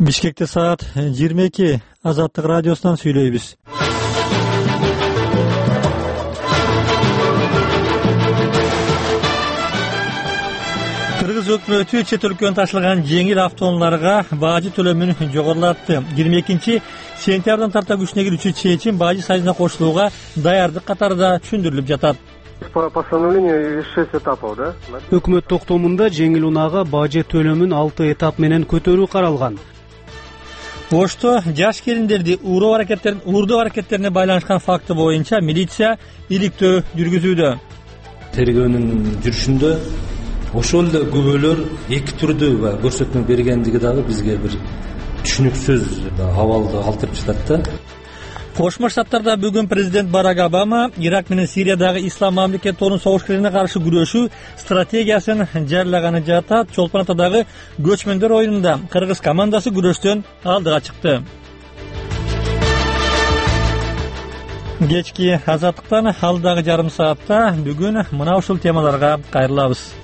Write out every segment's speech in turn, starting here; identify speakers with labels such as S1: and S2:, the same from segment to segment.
S1: Бишкекте саат 22. Азаттык радиосунан сүйлөйбүз. Кыргыз өкмөтү чет өлкөнүн ташылган жеңил автоунааларга бажы төлөмүн жогорулатты. 22-сентябрдан тарта күчүнө кирүүчү чечим бажы сайына кошулууга даярдык катарында түшүндүрүлүп жатат.
S2: По постановлению 6 этапов, да?
S3: Өкмөт токтомунда жеңил унаага бажы төлөмүн 6 этап менен көтөрүү каралган.
S1: Ошто жаш келиндерди уурдоо аракеттерине байланышкан факты боюнча милиция иликтөө жүргүзүүдө.
S4: Тергөөнүн жүрүшүндө ошол эле күбөлөр эки түрдүү көрсөтмө бергендиги дагы бизге бир түшүнүксүз абалды калтырып жатат да.
S1: Кошмо Штаттарда бүгүн президент Барак Обама Ирак менен Сириядагы ислам мамлекеттеринин согушкерлерине каршы күрөшүү стратегиясын жарыялаганы жатат. Чолпон Атадагы көчмөндөр оюнунда кыргыз командасы күрөштөн алдыга чыкты. Кечки азаттыктан алдыдагы жарым саатта бүгүн мына ушул темаларга кайрылабыз.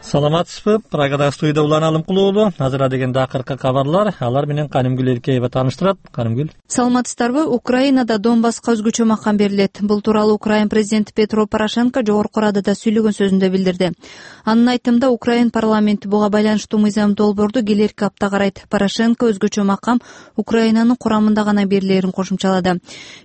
S1: Саламатсызбы? Прагада студияда Улан Алымкулуу. Азыр дегенде акыркы кабарлар, алар менен Канымгүл Эркеева тааныштырат. Канымгүл.
S5: Саламатсыздарбы? Украинада Донбасска өзгөчө макам берилет. Бул тууралуу Украин президенти Петро Порошенко жогорку Радада сүйлөгөн сөзүндө билдирди. Анын айтымында Украин парламенти буга байланыштуу мыйзам долбоорду келерки апта карайт. Порошенко өзгөчө макам Украинанын курамында гана берилерин кошумчалады.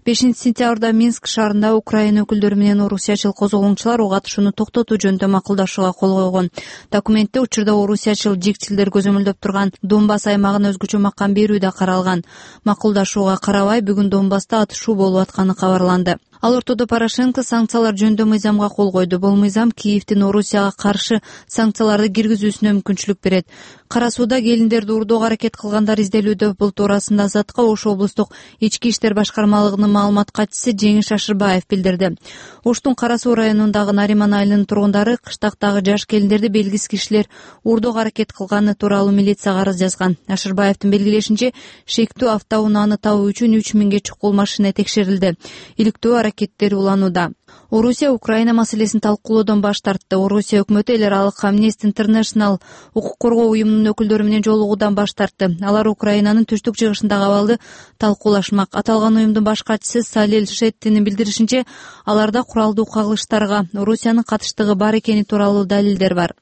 S5: 5-сентябрда Минск шаарында Украина өкүлдөрү менен орусиячыл козголоңчулар уга катышууну токтотуу жөнүндө макулдашууга кол койгон. Документте учурда орусиячыл жигчилдер көзөмөлдөп турган Донбасс аймагына өзгөчө макам берүү да каралган. Макулдашууга карабай бүгүн Донбасста атышуу болуп атканы кабарланды. Ал ортодо Порошенко санкциялар жөнүндө мыйзамга кол койду. Бул мыйзам Киевдин Орусияга каршы санкцияларды киргизүүсүнө мүмкүнчүлүк берет. Кара сууда келиндерди уурдоого аракет кылгандар изделүүдө. Бул туурасында Азаттыкка Ош облустук ички иштер башкармалыгынын маалымат катчысы Жеңиш Ашырбаев билдирди. Оштун Кара суу районундагы Нариман айылынын тургундары кыштактагы жаш келиндерди белгисиз кишилер уурдоого аракет кылганы тууралуу милицияга арыз жазган. Ашырбаевдин белгилешинче, шектүү автоунааны табуу үчүн 3000ге чукул машина текшерилди. Иликтөө аракеттери уланууда. Орусия Украина маселесин талкуулоодон баш тартты. Орусия өкмөтү эл аралык Amnesty International укук коргоо уюмунун өкүлдөрү менен жолугуудан баш тартты. Алар Украинанын түштүк жыгышындагы абалды талкуулашмак. Аталган уюмдун баш катчысы Салил Шеттинин билдиришинче, аларда куралдуу кагылыштарга Орусиянын катыштыгы бар экени тууралуу далилдер бар.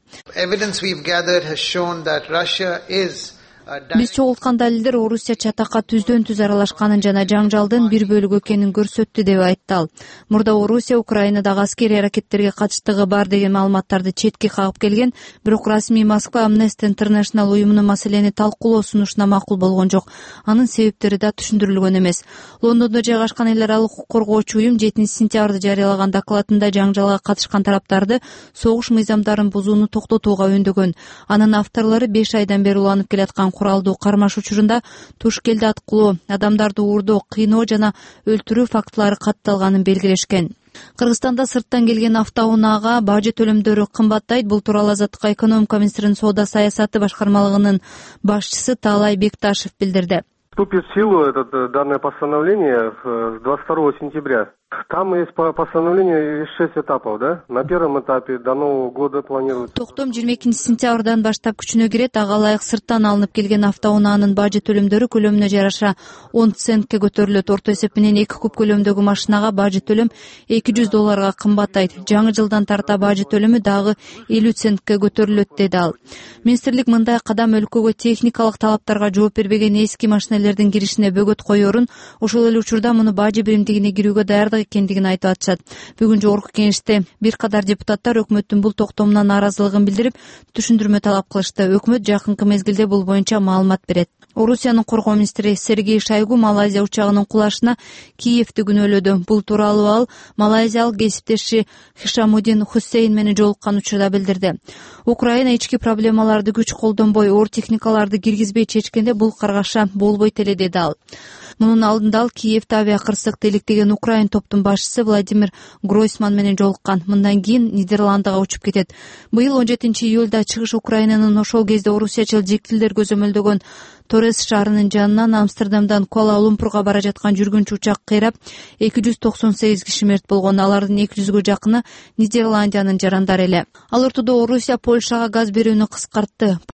S5: Биз чогулткан далилдер Орусия чатакка түздөн түз аралашканын жана жаңжалдын бир бөлүгү экенин көрсөттү, деп айтты ал. Мурда Орусия Украинадагы аскерий аракеттерге катыштыгы бар деген маалыматтарды четке кагып келген, бирок расмий Москва Amnesty International уюмунун маселени талкуулоо сунушуна макул болгон жок. Анын себептери да түшүндүрүлгөн эмес. Лондондо жайгашкан эл аралык укук коргоочу уюм 7-сентябрда жарыялаган докладында жаңжалга катышкан тараптарды согуш мыйзамдарын бузууну токтотууга өндөгөн. Анын авторлору 5 айдан бери уланып келаткан куралдуу кармаш учурунда туш келди аткылоо, адамдарды уурдоо, кыйноо жана өлтүрүү фактылары катталганын белгилешкен. Кыргызстанда сырттан келген автоунаага бажы төлөмдөрү кымбаттайт. Бул тууралуу Азаттыкка экономика министринин соода саясаты башкармалыгынын башчысы Таалай Бекташев билдирди.
S2: Вступит в силу данное постановление с 22 сентября. Там есть постановление 6 этапов, да? На первом этапе до Нового года планируется.
S5: Токтом 22-сентябрдан баштап күчүнө кирет. Ага ылайык сырттан алынып келген автоунаанын бажы төлөмдөрү көлөмүнө жараша 10 центке көтөрүлөт. Орто эсеп менен 2 куб көлөмдөгү машинага бажы төлөм $200 кымбаттайт. Жаңы жылдан тарта бажы төлөмү дагы 50 центке көтөрүлөт, деди ал. Министрлик мындай кадам өлкөгө техникалык талаптарга жооп бербеген эски машинелердин киришине бөгөт коерун, ошол эле учурда муну бажы биримдигине кирүүгө даярдык экендигин айтып атышат. Бүгүн жогорку кеңеште бир кадар депутаттар өкмөттүн бул токтомуна нааразылыгын билдирип, түшүндүрмө талап кылышты. Өкмөт жакынкы мезгилде бул боюнча маалымат берет. Орусиянын коргоо министри Сергей Шойгу Малайзия учагынын кулашына Киевди күнөөлөдү. Бул тууралуу ал малайзиялык кесиптеши Хишамуддин Хусейн менен жолуккан учурда билдирди. Украина ички проблемаларды күч колдонбой, оор техникаларды киргизбей чечкенде бул каргаша болбойт эле, деди ал. Мунун алдында ал Киевде авиакырсыкты иликтеген Украин топтун башчысы Владимир Гройсман менен жолуккан. Мындан кийин Нидерландыга учуп кетет. Быйыл 17-июлда чыгыш Украинанын ошол кезде орусиячыл жигчилдер көзөмөлдөгөн Торрес шаарынын жанынан Амстердамдан Куала-Лумпурга бара жаткан жүргүнчү учак кыйрап 298 киши мерт болгон. Алардын 200гө жакыны Нидерландиянын жарандары эле. Ал ортодо Орусия Польшага газ берүүнү кыскартты.